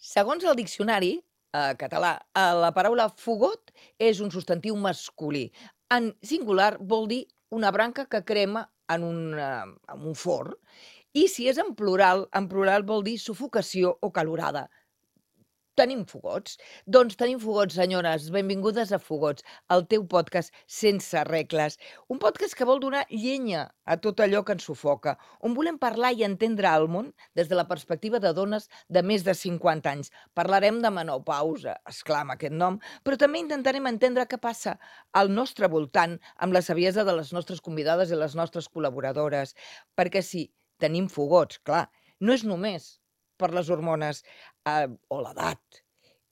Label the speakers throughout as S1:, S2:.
S1: Segons el diccionari català, la paraula fogot és un substantiu masculí. En singular vol dir una branca que crema en un forn. I si és en plural vol dir sufocació o calorada. Tenim fogots? Doncs tenim fogots, senyores. Benvingudes a Fogots, el teu podcast sense regles. Un podcast que vol donar llenya a tot allò que ens sufoca, on volem parlar i entendre el món des de la perspectiva de dones de més de 50 anys. Parlarem de menopausa, esclar, amb aquest nom, però també intentarem entendre què passa al nostre voltant amb la saviesa de les nostres convidades i les nostres col·laboradores. Perquè sí, tenim fogots, clar, no és només per les hormones o l'edat.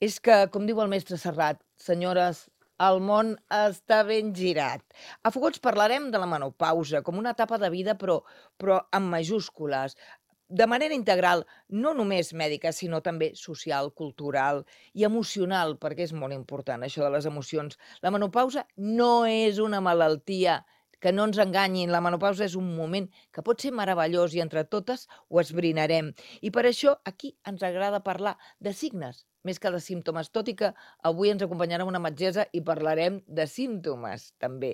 S1: És que, com diu el mestre Serrat, senyores, el món està ben girat. A Fogots parlarem de la menopausa com una etapa de vida, però amb majúscules, de manera integral, no només mèdica, sinó també social, cultural i emocional, perquè és molt important això de les emocions. La menopausa no és una malaltia, que no ens enganyin, la menopausa és un moment que pot ser meravellós i entre totes ho esbrinarem. I per això aquí ens agrada parlar de signes, més que de símptomes, tot i que avui ens acompanyarà una metgessa i parlarem de símptomes també.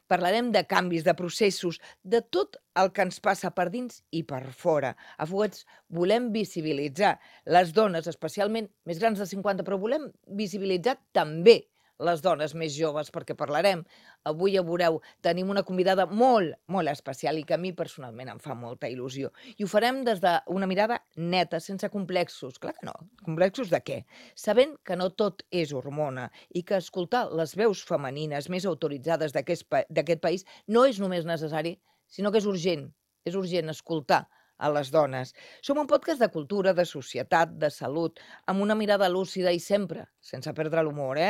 S1: Parlarem de canvis, de processos, de tot el que ens passa per dins i per fora. A Fuguets volem visibilitzar les dones, especialment més grans de 50, però volem visibilitzar també les dones més joves, perquè parlarem. Avui ja veureu, tenim una convidada molt, molt especial i que a mi personalment em fa molta il·lusió. I ho farem des d'una mirada neta, sense complexos. Clar que no. Complexos de què? Sabent que no tot és hormona i que escoltar les veus femenines més autoritzades d'aquest país no és només necessari, sinó que és urgent. És urgent escoltar a les dones. Som un podcast de cultura, de societat, de salut, amb una mirada lúcida i sempre sense perdre l'humor,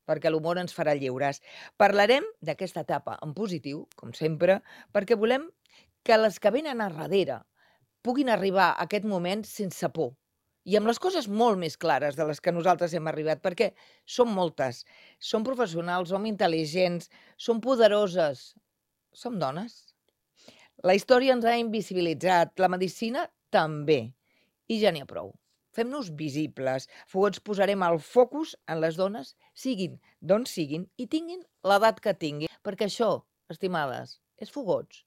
S1: perquè l'humor ens farà lliures. Parlarem d'aquesta etapa en positiu, com sempre, perquè volem que les que venen a darrere puguin arribar a aquest moment sense por i amb les coses molt més clares de les que nosaltres hem arribat, perquè som moltes, som professionals, som intel·ligents, som poderoses, som dones. La història ens ha invisibilitzat, la medicina també, i ja n'hi ha prou. Fem-nos visibles. Fogots posarem el focus en les dones, siguin d'on siguin i tinguin l'edat que tinguin. Perquè això, estimades, és Fogots,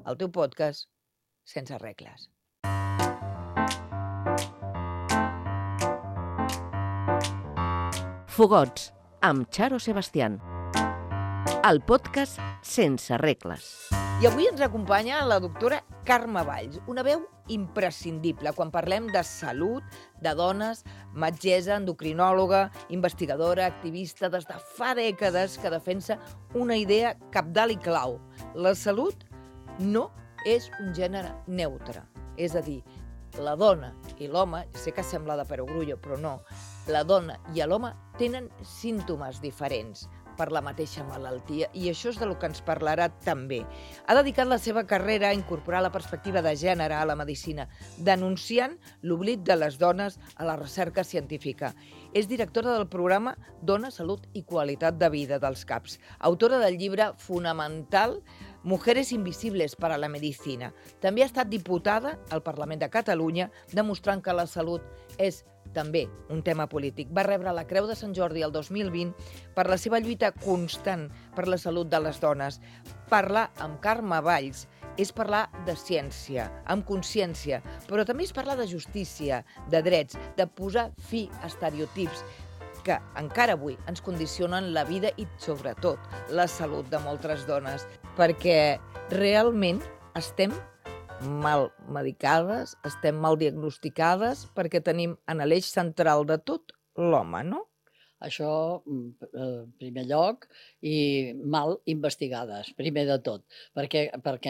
S1: el teu podcast sense regles.
S2: Fogots, amb Charo Sebastián. El podcast sense regles.
S1: I avui ens acompanya la doctora Carme Valls, una veu imprescindible quan parlem de salut, de dones, metgessa, endocrinòloga, investigadora, activista, des de fa dècades que defensa una idea cabdal i clau. La salut no és un gènere neutre, és a dir, la dona i l'home, sé que sembla de perogrullo, però no, la dona i l'home tenen símptomes diferents per la mateixa malaltia, i això és del que ens parlarà també. Ha dedicat la seva carrera a incorporar la perspectiva de gènere a la medicina, denunciant l'oblit de les dones a la recerca científica. És directora del programa Dona, Salut i Qualitat de Vida dels CAPs, autora del llibre fonamental Mujeres invisibles para la medicina. També ha estat diputada al Parlament de Catalunya, demostrant que la salut és també un tema polític. Va rebre la Creu de Sant Jordi el 2020 per la seva lluita constant per la salut de les dones. Parlar amb Carme Valls és parlar de ciència, amb consciència, però també és parlar de justícia, de drets, de posar fi a estereotips que encara avui ens condicionen la vida i, sobretot, la salut de moltes dones, perquè realment estem mal medicades, estem mal diagnosticades, perquè tenim en l'eix central de tot l'home, no?
S3: Això, en primer lloc, i mal investigades, primer de tot, perquè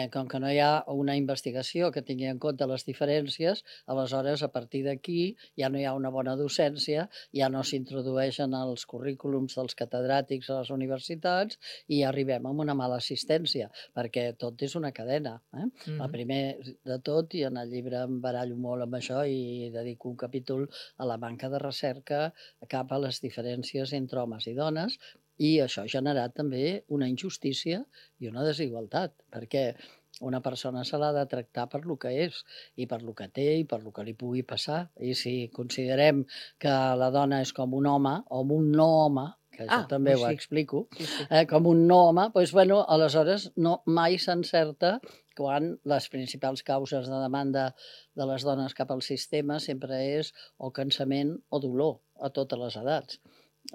S3: com que no hi ha una investigació que tingui en compte les diferències, aleshores, a partir d'aquí, ja no hi ha una bona docència, ja no s'introdueixen els currículums dels catedràtics a les universitats i arribem a una mala assistència, perquè tot és una cadena. El primer de tot, i en el llibre em barallo molt amb això i dedico un capítol a la manca de recerca cap a les diferències entre homes i dones, i això ha generat també una injustícia i una desigualtat, perquè Una persona se l'ha de tractar per lo que és, i per lo que té, i per lo que li pugui passar. I si considerem que la dona és com un home, o un no home, que jo també ho
S1: sí.
S3: explico,
S1: Sí.
S3: com un no home, doncs, bueno, aleshores mai s'encerta quan les principals causes de demanda de les dones cap al sistema sempre és o cansament o dolor a totes les edats.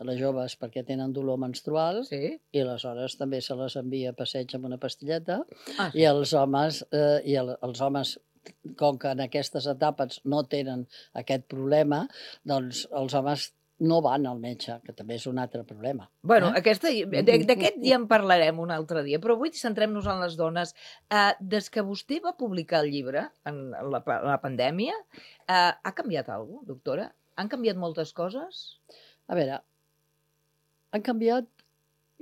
S3: Les joves perquè tenen dolor menstrual
S1: Sí?
S3: i aleshores també se les envia a passeig amb una pastilleta,
S1: Sí.
S3: i els homes, els homes, com que en aquestes etapes no tenen aquest problema, doncs els homes no van al metge, que també és un altre problema.
S1: Bueno, d'aquest ja en parlarem un altre dia, però avui centrem-nos en les dones. Des que vostè va publicar el llibre, en la pandèmia, ha canviat alguna cosa, doctora? Han canviat moltes coses?
S3: A veure, han canviat,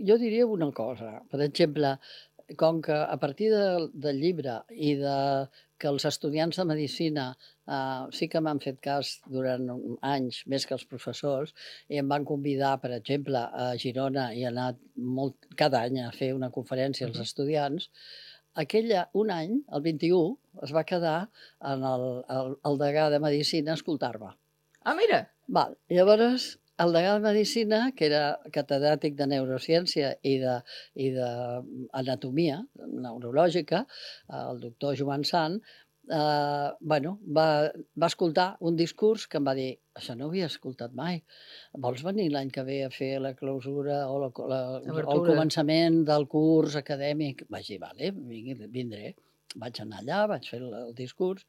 S3: jo diria una cosa. Per exemple, com que a partir del llibre i que els estudiants de medicina sí que m'han fet cas durant anys, més que els professors, i em van convidar, per exemple, a Girona, i he anat cada any a fer una conferència als estudiants, un any, el 21, es va quedar en el degà de Medicina a escoltar-me.
S1: Ah, mira!
S3: Llavors, el degà de Medicina, que era catedràtic de neurociència i d'anatomia neurològica, el doctor Joan Sant, va escoltar un discurs que em va dir: això no ho havia escoltat mai, vols venir l'any que ve a fer la clausura o el començament del curs acadèmic? Vaig dir, vale, vindré. Vaig anar allà, vaig fer el discurs,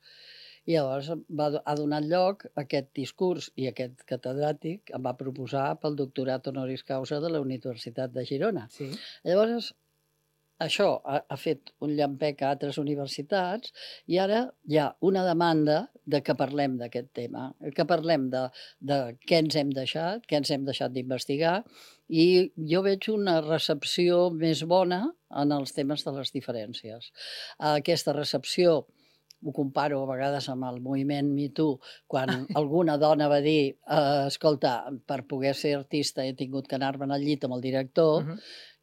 S3: i llavors ha donat lloc a aquest discurs, i aquest catedràtic em va proposar pel doctorat honoris causa de la Universitat de Girona.
S1: Sí.
S3: Llavors, això ha fet un llampec a altres universitats, i ara hi ha una demanda de que parlem d'aquest tema, que parlem de què ens hem deixat d'investigar, i jo veig una recepció més bona en els temes de les diferències. Aquesta recepció ho comparo a vegades amb el moviment Me Too, quan alguna dona va dir escolta, per poder ser artista he tingut que anar-me'n al llit amb el director.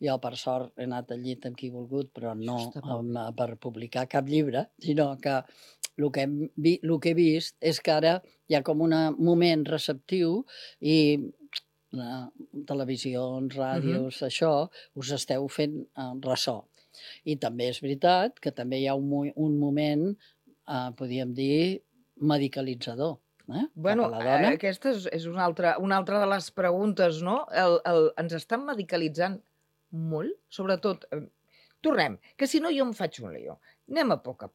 S3: Jo, per sort, he anat al llit amb qui he volgut, però no per publicar cap llibre, sinó que el que he vist és que ara hi ha com un moment receptiu, i televisions, ràdios, això, us esteu fent ressò. I també és veritat que també hi ha un moment, podríem dir, medicalitzador.
S1: Bueno, aquesta és una altra de les preguntes, no? Ens estan medicalitzant molt, sobretot. Tornem, que si no jo em faig un lío. Anem a poc.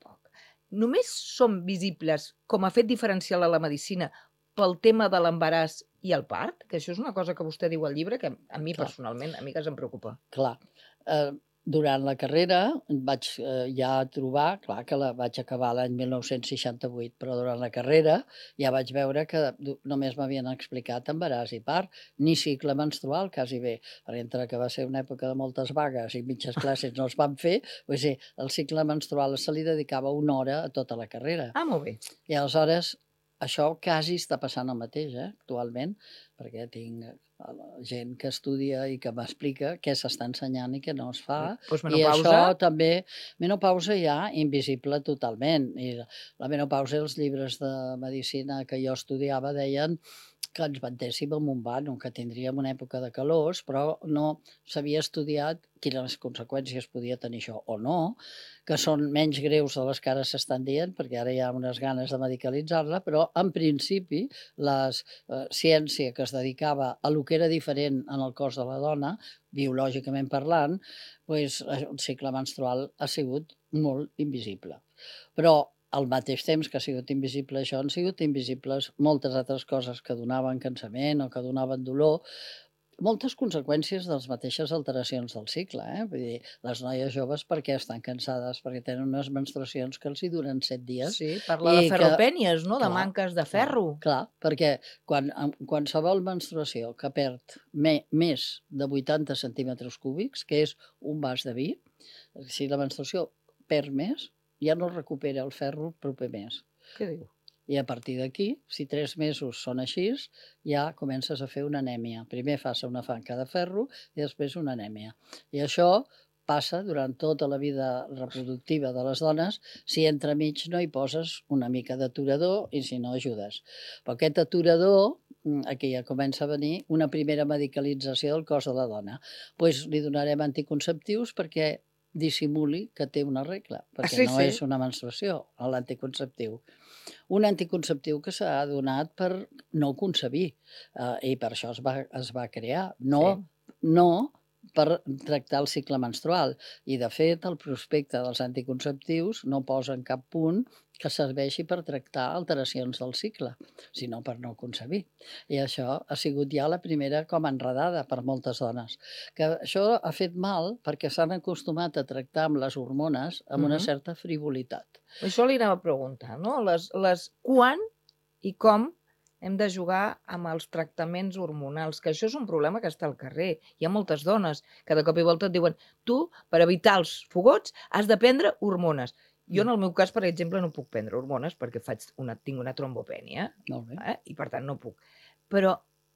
S1: Només som visibles com a fet diferencial a la medicina pel tema de l'embaràs i el part? Que això és una cosa que vostè diu al llibre que a mi personalment, a mi que em preocupa.
S3: Clar. Durant la carrera vaig ja trobar, clar que la vaig acabar l'any 1968, però durant la carrera ja vaig veure que només m'havien explicat embaràs i part, ni cicle menstrual, quasi bé, perquè entre que va ser una època de moltes vagues i mitges classes no es van fer, el cicle menstrual se li dedicava una hora a tota la carrera.
S1: Ah, molt bé.
S3: I aleshores això quasi està passant el mateix, actualment, perquè tinc gent que estudia i que m'explica què s'està ensenyant i què no es fa. I això també, menopausa ja invisible totalment. I la menopausa, els llibres de medicina que jo estudiava deien que ens ventéssim amb un vano, que tindríem una època de calors, però no s'havia estudiat quines conseqüències podia tenir això o no, que són menys greus de les que ara s'estan dient, perquè ara hi ha unes ganes de medicalitzar-la, però en principi la ciència que es dedicava a lo que era diferent en el cos de la dona, biològicament parlant, el cicle menstrual ha sigut molt invisible. Però al mateix temps que ha sigut invisible això, han sigut invisibles moltes altres coses que donaven cansament o que donaven dolor, moltes conseqüències de les mateixes alteracions del cicle. Vull dir, les noies joves perquè estan cansades, perquè tenen unes menstruacions que els hi duren 7 dies.
S1: Sí, parla de ferropènies, no? De manques de ferro.
S3: Clar, perquè qualsevol menstruació que perd més de 80 centímetres cúbics, que és un vas de vi, si la menstruació perd més, ja no recupera el ferro proper mes.
S1: Què diu?
S3: I a partir d'aquí, si 3 mesos són així, ja comences a fer una anèmia. Primer fas una fanca de ferro i després una anèmia. I això passa durant tota la vida reproductiva de les dones si entremig no hi poses una mica d'aturador i si no ajudes. Però aquest aturador, aquí ja comença a venir una primera medicalització del cos de la dona. Doncs li donarem anticonceptius perquè dissimuli que té una regla, perquè no és una menstruació, l'anticonceptiu. Un anticonceptiu que s'ha donat per no concebir i per això es va crear, no per tractar el cicle menstrual. I, de fet, el prospecte dels anticonceptius no posa en cap punt que serveixi per tractar alteracions del cicle, sinó per no concebir. I això ha sigut ja la primera com enredada per moltes dones. Que això ha fet mal perquè s'han acostumat a tractar amb les hormones amb una certa frivolitat.
S1: Això li anava a preguntar, no? Quan i com hem de jugar amb els tractaments hormonals, que això és un problema que està al carrer. Hi ha moltes dones que de cop i volta et diuen tu, per evitar els fogots, has de prendre hormones. Jo, en el meu cas, per exemple, no puc prendre hormones perquè tinc una trombopènia, i per tant no puc. Però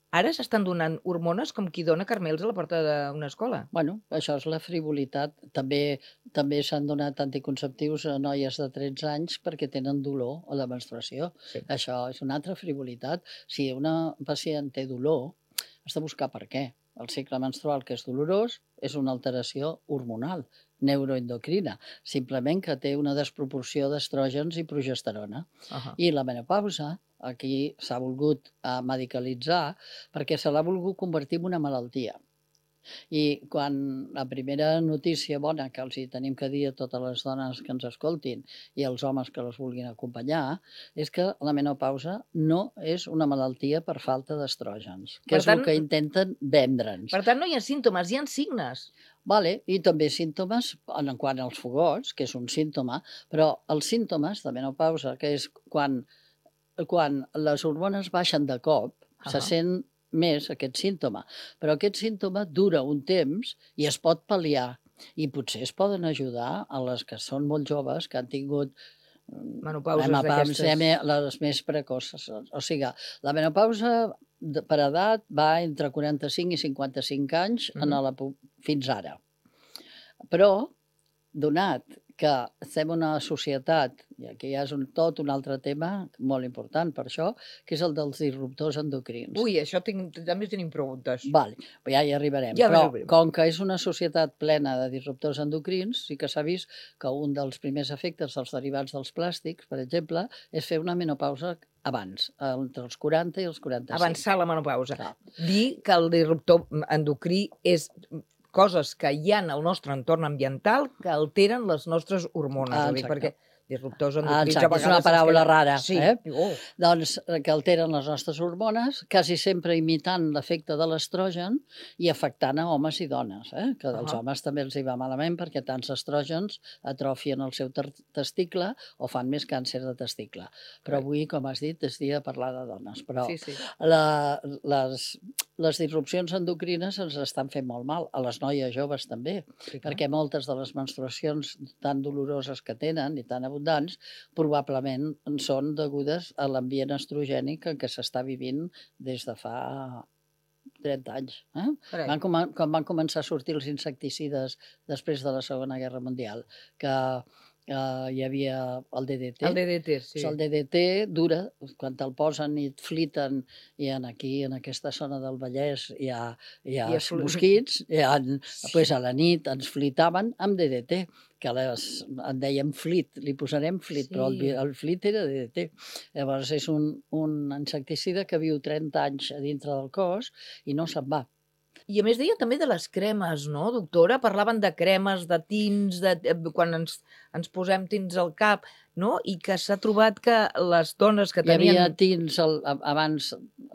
S1: ara s'estan donant hormones com qui dona carmels a la porta d'una escola.
S3: Bueno, això és la frivolitat. També s'han donat anticonceptius a noies de 13 anys perquè tenen dolor a la menstruació. Això és una altra frivolitat. Si una pacient té dolor, has de buscar per què. El cicle menstrual, que és dolorós, és una alteració hormonal, neuroendocrina, simplement que té una desproporció d'estrògens i progesterona. I la menopausa, aquí s'ha volgut medicalitzar perquè se l'ha volgut convertir en una malaltia. I quan la primera notícia bona que els hi tenim que dir a totes les dones que ens escoltin i als homes que les vulguin acompanyar és que la menopausa no és una malaltia per falta d'estrògens, que és el que intenten vendre'ns.
S1: Per tant, no hi ha símptomes, hi ha signes.
S3: I també símptomes en quant als fogots, que és un símptoma, però els símptomes de menopausa, que és quan les hormones baixen de cop, se sent més aquest símptoma. Però aquest símptoma dura un temps i es pot pal·liar. I potser es poden ajudar a les que són molt joves, que han tingut
S1: menopauses d'aquestes,
S3: les més precoces. O sigui, la menopausa per edat va entre 45 i 55 anys fins ara. Però, donat que estem en una societat, i aquí ja és tot un altre tema molt important per això, que és el dels disruptors endocrins.
S1: Ui, això també tenim preguntes.
S3: Ja hi arribarem. Però com que és una societat plena de disruptors endocrins, sí que s'ha vist que un dels primers efectes dels derivats dels plàstics, per exemple, és fer una menopausa abans, entre els 40 i els 45.
S1: Avançar la menopausa. Dir que el disruptor endocrí és coses que hi ha al nostre entorn ambiental que alteren les nostres hormones. Perquè disruptors endocrins a vegades...
S3: És una paraula rara.
S1: Sí.
S3: Doncs que alteren les nostres hormones, quasi sempre imitant l'efecte de l'estrogen i afectant a homes i dones. Que als homes també els hi va malament perquè tants estrògens atrofien el seu testicle o fan més càncer de testicle. Però avui, com has dit, és dia de parlar de dones. Però les disrupcions endocrines ens estan fent molt mal, a les noies joves també, perquè moltes de les menstruacions tan doloroses que tenen i tan abundants probablement són degudes a l'ambient estrogènic en què s'està vivint des de fa 30 anys. Quan van començar a sortir els insecticides després de la Segona Guerra Mundial, que hi havia el DDT.
S1: El DDT, sí.
S3: El DDT dura, quan te'l posen i et fliten, i aquí, en aquesta zona del Vallès, hi ha mosquits, a la nit ens flitaven amb DDT, que en dèiem flit, li posarem flit, però el flit era DDT. Llavors és un insecticida que viu 30 anys a dintre del cos i no se'n va.
S1: I a més deia també de les cremes, no, doctora? Parlaven de cremes, de tints, quan ens posem tints al cap, no? I que s'ha trobat que les dones que tenien...
S3: Hi havia tints abans,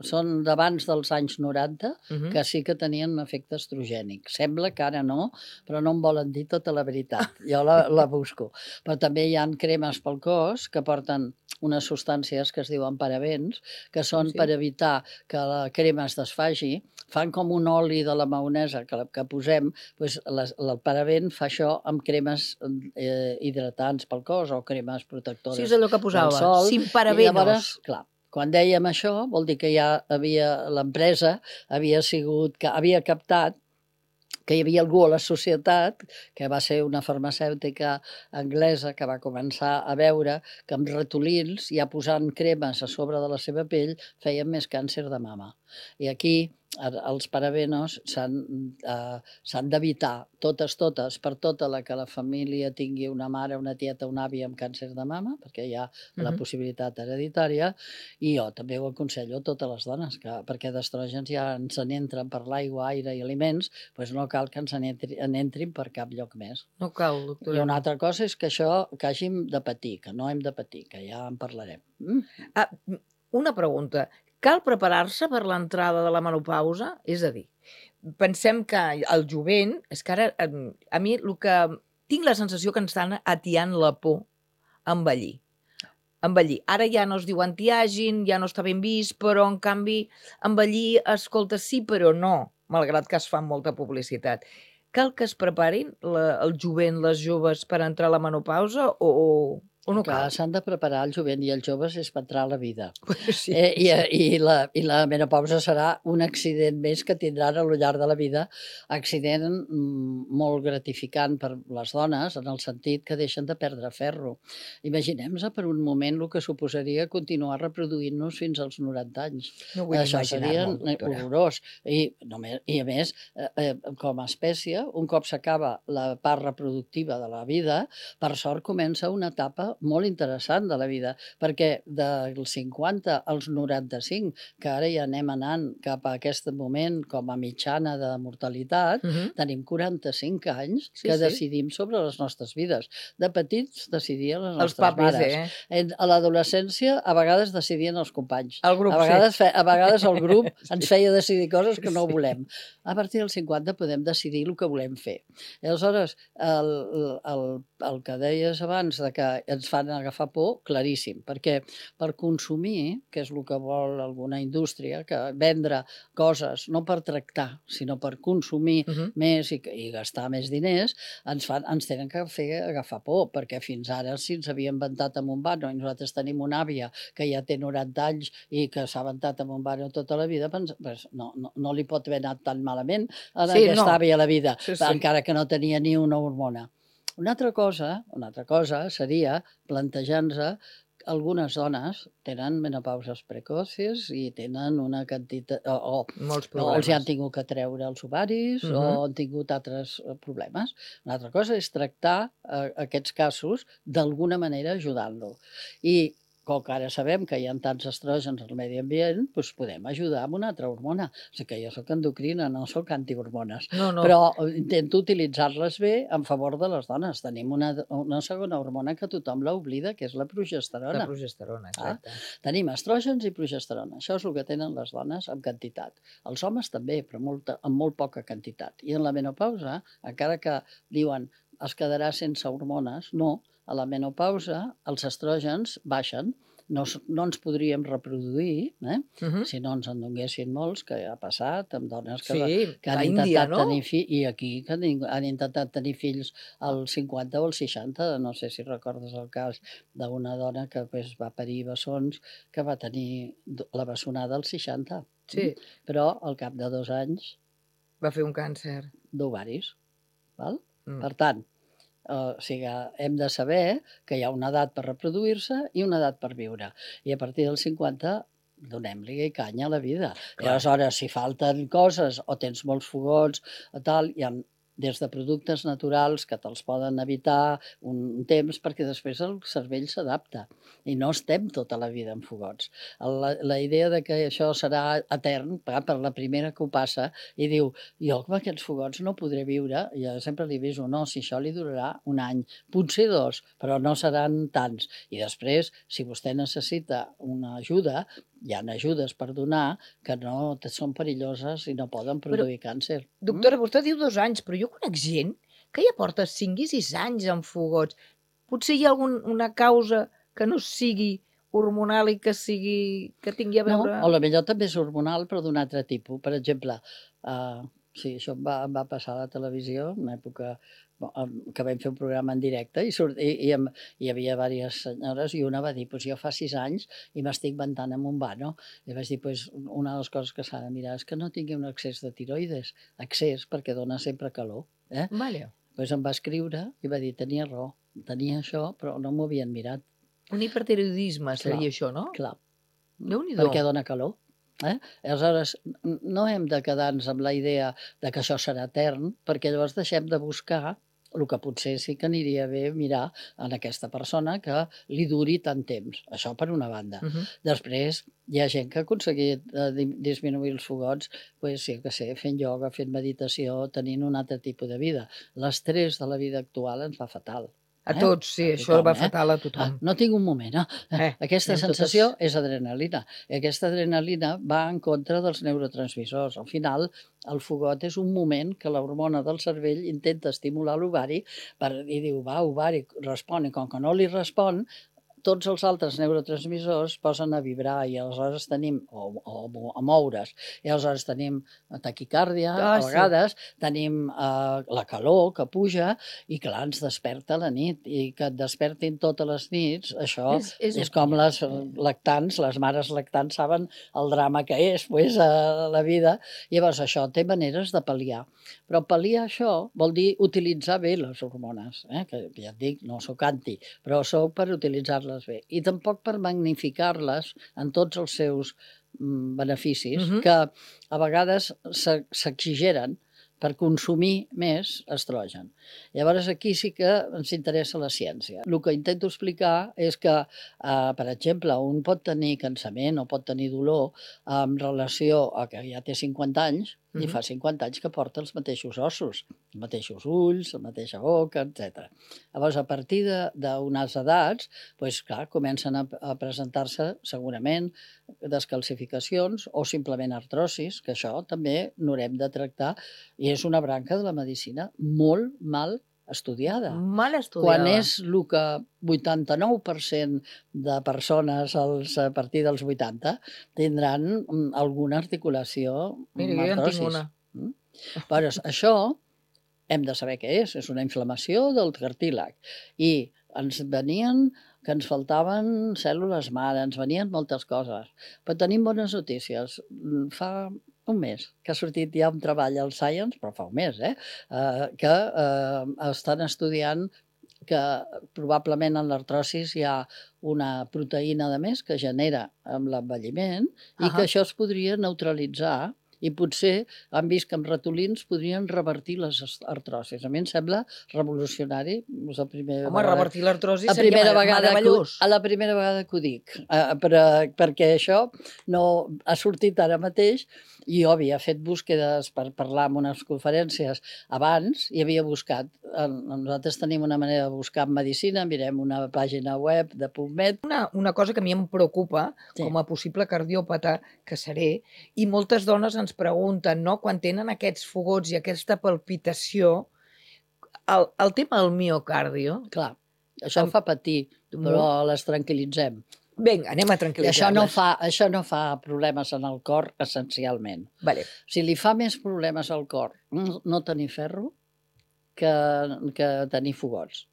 S3: són d'abans dels anys 90, que sí que tenien un efecte estrogènic. Sembla que ara no, però no em volen dir tota la veritat. Jo la busco. Però també hi ha cremes pel cos que porten unes substàncies que es diuen parabens, que són per evitar que la crema es desfagi. Fan com un oli de la maonesa que posem, el paraben fa això amb cremes hidratants pel cos o cremes protectores del sol.
S1: Sí, és allò que posava, sin parabenos.
S3: I llavors, clar, quan dèiem això, vol dir que ja l'empresa havia captat que hi havia algú a la societat, que va ser una farmacèutica anglesa que va començar a veure que amb ratolins, ja posant cremes a sobre de la seva pell, feien més càncer de mama. I aquí els parabenos s'han d'evitar totes, per tota la que la família tingui una mare, una tieta, un avi amb càncer de mama, perquè hi ha la possibilitat hereditària, i jo també ho aconsello a totes les dones, perquè d'estrògens ja ens n'entren per l'aigua, aire i aliments, doncs no cal que ens n'entrin per cap lloc més.
S1: No cal, doctora.
S3: I una altra cosa és que això que hàgim de patir, que no hem de patir, que ja en parlarem.
S1: Una pregunta. Cal preparar-se per l'entrada de la menopausa? És a dir, pensem que el jovent, és que ara a mi el que tinc la sensació que ens estan atiant la por a envellir. Ara ja no es diu anti-aging, ja no està ben vist, però en canvi envellir, escolta, sí però no, malgrat que es fa molta publicitat. Cal que es preparin el jovent, les joves, per entrar a la menopausa o no cal?
S3: S'han de preparar el jovent i els joves és per entrar a la vida.
S1: Sí.
S3: I la menopausa serà un accident més que tindran a lo llarg de la vida, accident molt gratificant per les dones, en el sentit que deixen de perdre ferro. Imaginem-nos per un moment el que suposaria continuar reproduint-nos fins als 90 anys.
S1: No vull
S3: Això seria
S1: imaginar-m'ho, doctora.
S3: horrorós. I a més, com a espècie, un cop s'acaba la part reproductiva de la vida, per sort comença una etapa molt interessant de la vida, perquè dels 50 als 95, que ara ja anem anant cap a aquest moment com a mitjana de mortalitat, tenim 45 anys que decidim sobre les nostres vides. De petits decidien les nostres mares. A l'adolescència a vegades decidien els companys.
S1: El grup,
S3: a vegades el grup ens feia decidir coses que no volem. A partir dels 50 podem decidir el que volem fer. I aleshores, el que deies abans de que ens fan agafar por, claríssim, perquè per consumir, que és el que vol alguna indústria, que vendre coses no per tractar, sinó per consumir més i gastar més diners, ens tenen que fer agafar por, perquè fins ara si ens havia inventat amb un vano i nosaltres tenim una àvia que ja té 90 anys i que s'ha inventat amb un vano tota la vida, no li pot haver anat tan malament a aquesta àvia a la vida, encara que no tenia ni una hormona. Una altra cosa seria plantejar-nos algunes dones tenen menopauses precoces i tenen una quantitat o els han tingut que treure els ovaris o han tingut altres problemes. Una altra cosa és tractar aquests casos d'alguna manera ajudant-lo. I com que ara sabem que hi ha tants estrògens al medi ambient, doncs podem ajudar amb una altra hormona. O sigui que jo soc endocrina, no soc antihormones. Però intento utilitzar-les bé en favor de les dones. Tenim una segona hormona que tothom l'oblida, que és la progesterona.
S1: La progesterona, exacte.
S3: Tenim estrògens i progesterona. Això és el que tenen les dones en quantitat. Els homes també, però amb molt poca quantitat. I en la menopausa, encara que diuen es quedarà sense hormones, no. A la menopausa els estrògens baixen, no ens podríem reproduir si no ens en donguessin molts, que ha passat amb dones que han intentat tenir fills, i aquí que han intentat tenir fills als 50 o als 60, no sé si recordes el cas d'una dona que va parir bessons, que va tenir la bessonada als 60, però al cap de 2 anys
S1: va fer un càncer
S3: d'ovaris. Per tant, o sigui, hem de saber que hi ha una edat per reproduir-se i una edat per viure. I a partir dels 50 donem-li canya a la vida. I aleshores, si falten coses o tens molts fogots o tal, hi ha des de productes naturals que te'ls poden evitar un temps perquè després el cervell s'adapta i no estem tota la vida en fogots. La idea de que això serà etern, per la primera que ho passa, i diu, jo amb aquests fogots no podré viure, jo sempre li aviso, no, si això li durarà 1 any, potser 2, però no seran tants. I després, si vostè necessita una ajuda, hi ha ajudes per donar que no són perilloses i no poden produir càncer.
S1: Doctora, vostè diu 2 anys, però jo conec gent que ja porta 5 i 6 anys amb fogots. Potser hi ha alguna causa que no sigui hormonal i que tingui a veure...
S3: No, o potser també és hormonal, però d'un altre tipus. Per exemple, Sí, això em va passar a la televisió, en una època que vam fer un programa en directe i hi havia diverses senyores i una va dir, pues jo fa 6 anys i m'estic ventant amb un vano. I vaig dir, pues una de les coses que s'ha de mirar és que no tingui un excés de tiroides, excés perquè dona sempre calor.
S1: Vale.
S3: Pues em va escriure i va dir, tenia raó, tenia això, però no m'ho havien mirat.
S1: Un hipertiroidisme
S3: Clar,
S1: seria això, no?
S3: Clar,
S1: Déu-n'hi-do.
S3: perquè dona calor. Aleshores, no hem de quedar-nos amb la idea de que això serà etern, perquè llavors deixem de buscar el que potser sí que aniria bé mirar en aquesta persona que li duri tant temps. Això per una banda. Després, hi ha gent que ha aconseguit disminuir els fogots, pues, sí que sé, fent ioga, fent meditació, tenint un altre tipus de vida. L'estrès de la vida actual ens va fatal.
S1: A tots, sí,
S3: A
S1: això
S3: tothom,
S1: va fatal a tothom.
S3: No tinc un moment, aquesta
S1: anem
S3: sensació
S1: totes-
S3: és adrenalina. I aquesta adrenalina va en contra dels neurotransmissors. Al final, el fogot és un moment que l'hormona del cervell intenta estimular l'ovari i diu, va, ovari, respon, i com que no li respon, tots els altres neurotransmissors posen a vibrar i aleshores tenim, o a moure's, i aleshores tenim taquicàrdia, a
S1: sí.
S3: vegades tenim la calor que puja i clar, ens desperta a la nit i que et despertin totes les nits, això és com les lactants, les mares lactants saben el drama que és pues, la vida. Llavors això té maneres de pal·liar, però pal·liar això vol dir utilitzar bé les hormones, que ja et dic, no sóc anti, però sóc per utilitzar-les bé, i tampoc per magnificar-les en tots els seus beneficis, que a vegades s'exigeren per consumir més estrogen. Llavors aquí sí que ens interessa la ciència. El que intento explicar és que, per exemple, un pot tenir cansament o pot tenir dolor en relació a que ja té 50 anys i fa 50 anys que porta els mateixos ossos, els mateixos ulls, la mateixa boca, etc. Llavors, a partir d'unes edats, doncs, clar, comencen a presentar-se segurament descalcificacions o simplement artrosis, que això també n'haurem de tractar, i és una branca de la medicina molt mal estudiada.
S1: Mal estudiada.
S3: Quan és el que 89% de persones a partir dels 80 tindran alguna articulació amb
S1: Mira, jo ja en tinc
S3: artrosis.
S1: una.
S3: Però això hem de saber què és una inflamació del cartílag. I ens venien que ens faltaven cèl·lules mare, ens venien moltes coses. Però tenim bones notícies. Fa un mes que ha sortit ja un treball al Science, però fa un mes, que estan estudiant que probablement en l'artrosis hi ha una proteïna de més que genera amb l'envelliment i que això es podria neutralitzar i potser han vist que amb ratolins podrien revertir les artrosis. A mi em sembla revolucionari. És la primera
S1: Home, revertir l'artrosi
S3: la
S1: seria meravellós.
S3: la primera vegada que ho dic, perquè això no ha sortit ara mateix. Jo havia fet búsquedes per parlar en unes conferències abans i havia buscat. Nosaltres tenim una manera de buscar en medicina, mirem una pàgina web de PubMed.
S1: Una cosa que a mi em preocupa, com a possible cardiòpata que seré, i moltes dones ens pregunten, no?, quan tenen aquests fogots i aquesta palpitació, el tema del miocardio...
S3: Clar, això fa patir, però les tranquil·litzem.
S1: Vinga, anem a tranquil·litzar-les.
S3: Això no fa problemes en el cor, essencialment.
S1: Vale.
S3: Si li fa més problemes al cor no tenir ferro que tenir fogots.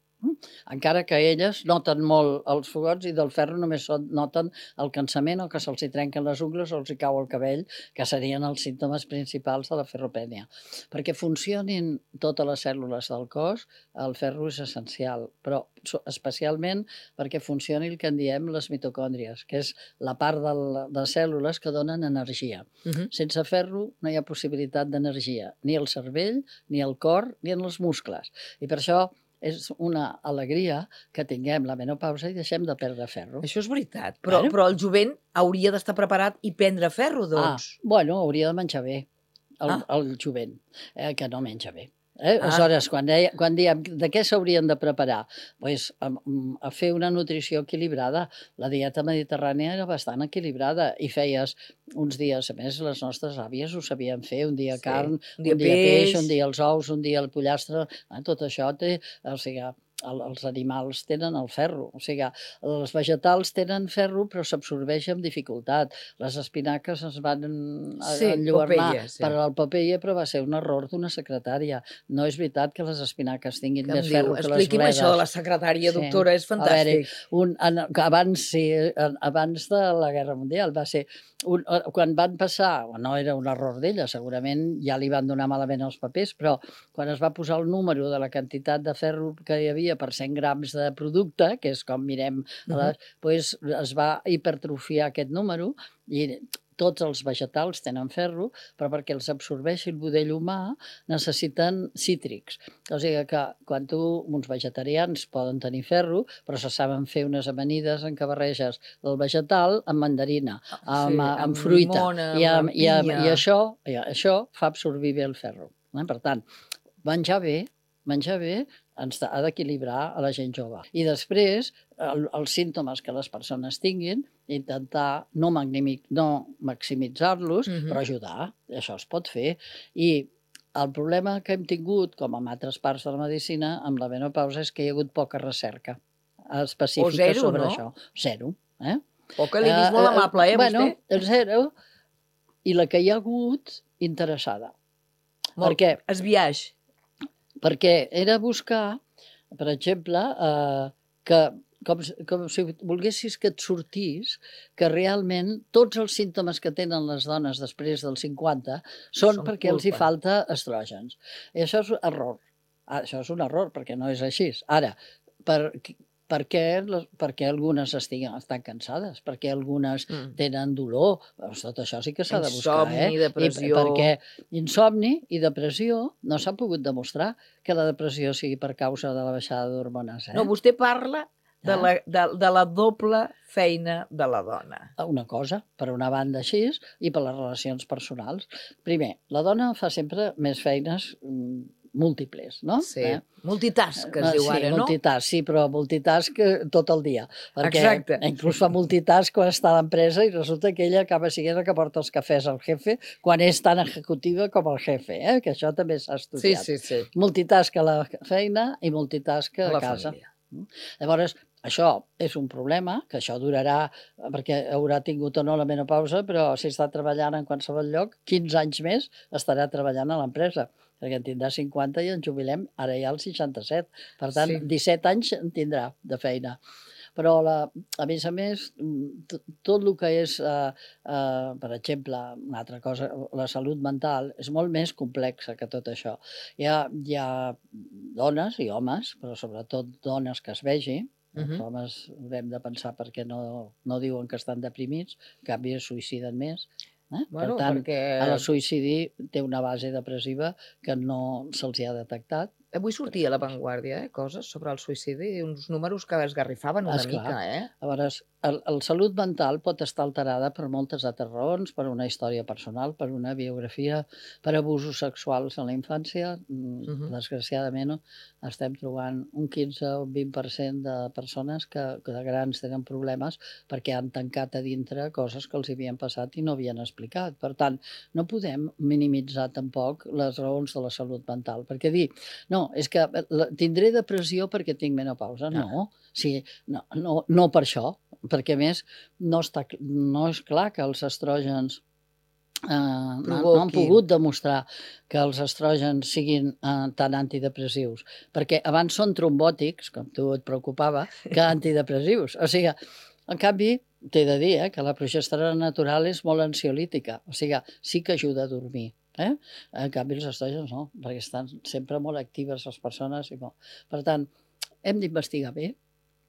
S3: Encara que elles noten molt els fogots i del ferro només noten el cansament o que se'ls trenquen les ungles o els cau el cabell, que serien els símptomes principals de la ferropènia. Perquè funcionin totes les cèl·lules del cos, el ferro és essencial, però especialment perquè funcioni el que en diem les mitocòndries, que és la part de cèl·lules que donen energia. Sense ferro no hi ha possibilitat d'energia, ni al cervell, ni al cor, ni en els muscles. I per això és una alegria que tinguem la menopausa i deixem de perdre ferro.
S1: Això és veritat, però el jovent hauria d'estar preparat i prendre ferro, doncs.
S3: Bueno, hauria de menjar bé, el jovent, que no menja bé. Aleshores, quan diem de què s'haurien de preparar? Pues, a fer una nutrició equilibrada. La dieta mediterrània era bastant equilibrada i feies uns dies, a més, les nostres àvies ho sabien fer, un dia carn, un dia peix, un dia els ous, un dia el pollastre, tot això té... O sigui, els animals tenen el ferro, o sigui, els vegetals tenen ferro però s'absorbeix amb dificultat. Les espinaques es van enlluernar
S1: sí.
S3: per al paper, però va ser un error d'una secretària. No és veritat que les espinaques tinguin
S1: Que em
S3: més
S1: diu,
S3: ferro que les
S1: expliqui'm això de la
S3: bledes.
S1: secretària,
S3: Sí.
S1: doctora, és
S3: A veure,
S1: fantàstic.
S3: abans de la Guerra Mundial va ser quan van passar, no era un error d'ella, segurament ja li van donar malament els papers, però quan es va posar el número de la quantitat de ferro que hi havia per 100 grams de producte, que és com mirem, doncs es va hipertrofiar aquest número i tots els vegetals tenen ferro, però perquè els absorbeixi el budell humà necessiten cítrics. O sigui que quan uns vegetarians poden tenir ferro, però se saben fer unes amanides en què barreges el vegetal amb mandarina, amb fruita, i això fa absorbir bé el ferro. Per tant, menjar bé ens ha d'equilibrar a la gent jove. I després, els símptomes que les persones tinguin, intentar no maximitzar-los, però ajudar. Això es pot fer. I el problema que hem tingut, com en altres parts de la medicina, amb la menopausa, és que hi ha hagut poca recerca específica sobre això. Zero.
S1: Poca, l'he vist molt amable, vostè?
S3: Bueno, zero. I la que hi ha hagut, interessada.
S1: Molt esbiaix.
S3: Perquè era buscar, per exemple, que com si volguessis que et sortís que realment tots els símptomes que tenen les dones després dels 50 són perquè els hi falta estrògens. I això és error. Això és un error, perquè no és així. Ara, per què algunes estan cansades? Per què algunes tenen dolor? Tot això sí que s'ha de buscar.
S1: Insomni, depressió...
S3: Perquè insomni i depressió no s'ha pogut demostrar que la depressió sigui per causa de la baixada d'hormones.
S1: No, vostè parla de la doble feina de la dona.
S3: Una cosa, per una banda així, i per les relacions personals. Primer, la dona fa sempre més feines múltiples, no?
S1: Sí, multitask, que es diu ara, no?
S3: Sí, però multitask tot el dia.
S1: Exacte.
S3: Inclús fa multitask quan està a l'empresa i resulta que ella acaba sent la que porta els cafès al jefe quan és tan executiva com el jefe, que això també s'ha estudiat.
S1: Sí.
S3: Multitask a la feina i multitask a casa. Llavors, això és un problema, que això durarà, perquè haurà tingut o no la menopausa, però si està treballant en qualsevol lloc, 15 anys més estarà treballant a l'empresa, perquè en tindrà 50 i ens jubilem ara ja als 67. Per tant, 17 anys en tindrà de feina. Però, a més, tot el que és, per exemple, una altra cosa, la salut mental, és molt més complexa que tot això. Hi ha dones i homes, però sobretot dones que es vegi, els homes haurem de pensar perquè no diuen que estan deprimits, en canvi es suïciden més. Per tant, el suïcidi té una base depressiva que no se'ls ha detectat.
S1: Avui sortia a La Vanguardia coses sobre el suïcidi i uns números que esgarrifaven una mica.
S3: Llavors, la salut mental pot estar alterada per moltes altres raons, per una història personal, per una biografia, per abusos sexuals en la infància. Desgraciadament estem trobant un 15 o 20% de persones que de grans tenen problemes perquè han tancat a dintre coses que els havien passat i no havien explicat. Per tant, no podem minimitzar tampoc les raons de la salut mental, perquè dir, no, és que tindré depressió perquè tinc menopausa. No, no per això, perquè a més no és clar que els estrògens no han pogut demostrar que els estrògens siguin tan antidepressius, perquè abans són trombòtics, com tu et preocupava, que antidepressius. O sigui, en canvi, t'he de dir que la progesterona natural és molt ansiolítica, o sigui, sí que ajuda a dormir. En canvi, els estrògens no, perquè estan sempre molt actives les persones. Per tant, hem d'investigar bé,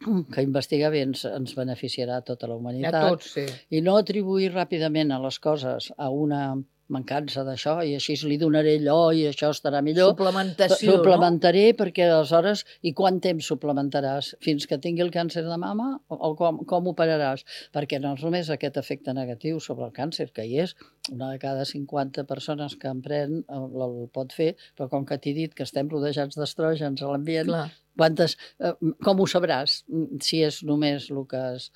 S3: que investigar bé ens beneficiarà a tota la humanitat.
S1: A tots, sí.
S3: I no atribuir ràpidament a les coses a una mancança d'això i així li donaré allò i això estarà millor.
S1: Suplementació,
S3: Suplementaré perquè aleshores, i quant temps suplementaràs? Fins que tingui el càncer de mama o com operaràs? Perquè no és només aquest efecte negatiu sobre el càncer, que hi és, una de cada 50 persones que en pren el pot fer, però com que t'he dit que estem rodejats d'estrògens a l'ambient, com ho sabràs? Si és només el que has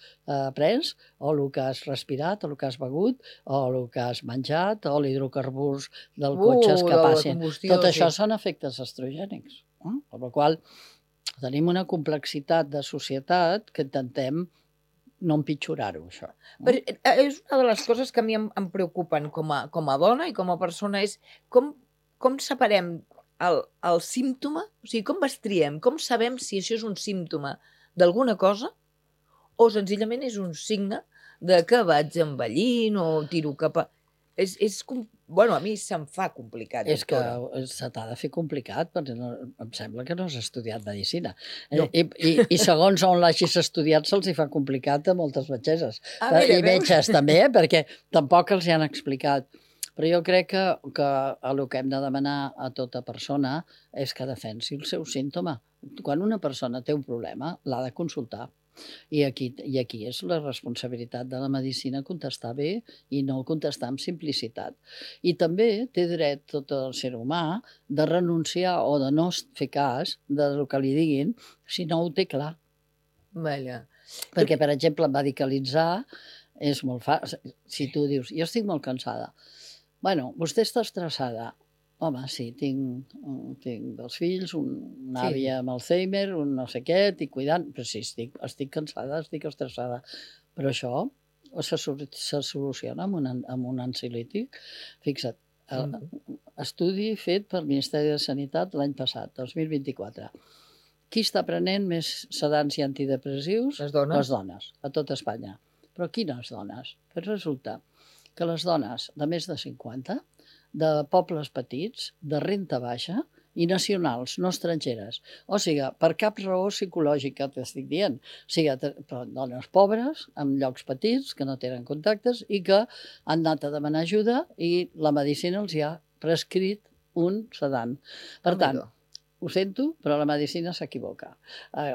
S3: pres, o el que has respirat, o el que has begut, o el que has menjat, o l'hidrocarburs del cotxe que passin. Tot això són efectes estrogènics. Amb la qual Tenim una complexitat de societat que intentem no empitjorar-ho, això.
S1: Però és una de les coses que a mi em preocupen com a dona i com a persona, és com separem el símptoma, o sigui, com triem, com sabem si això és un símptoma d'alguna cosa o senzillament és un signe de que vaig envellint o tiro cap a... Bueno, a mi se'm fa complicat,
S3: És que
S1: doctora.
S3: se t'ha de fer complicat, perquè em sembla que no has estudiat medicina.
S1: No.
S3: I segons on l'hagis estudiat se'ls hi fa complicat a moltes metgesses.
S1: Mira,
S3: I
S1: veus?
S3: metges també, perquè tampoc els hi han explicat. Però jo crec que el que hem de demanar a tota persona és que defensi el seu símptoma. Quan una persona té un problema, l'ha de consultar. I aquí és la responsabilitat de la medicina contestar bé i no contestar amb simplicitat. I també té dret tot el ser humà de renunciar o de no fer cas del que li diguin si no ho té clar.
S1: Vaja.
S3: Perquè, per exemple, medicalitzar és molt fàcil. Si tu dius, jo estic molt cansada. Bueno, vostè està estressada. Home, sí, tinc 2 fills, una àvia amb Alzheimer, un no sé què, estic cuidant, però sí, estic cansada, estic estressada. Però això se soluciona amb un ansiolític. Fixa't, estudi fet pel Ministeri de Sanitat l'any passat, 2024. Qui està prenent més sedants i antidepressius?
S1: Les dones.
S3: Les dones, a tot Espanya. Però quines dones? Però resulta que les dones de més de 50, de pobles petits, de renta baixa i nacionals, no estrangeres. O sigui, per cap raó psicològica t'estic dient. O sigui, dones pobres, en llocs petits, que no tenen contactes i que han anat a demanar ajuda i la medicina els hi ha prescrit un sedant. Per tant, ho sento, però la medicina s'equivoca.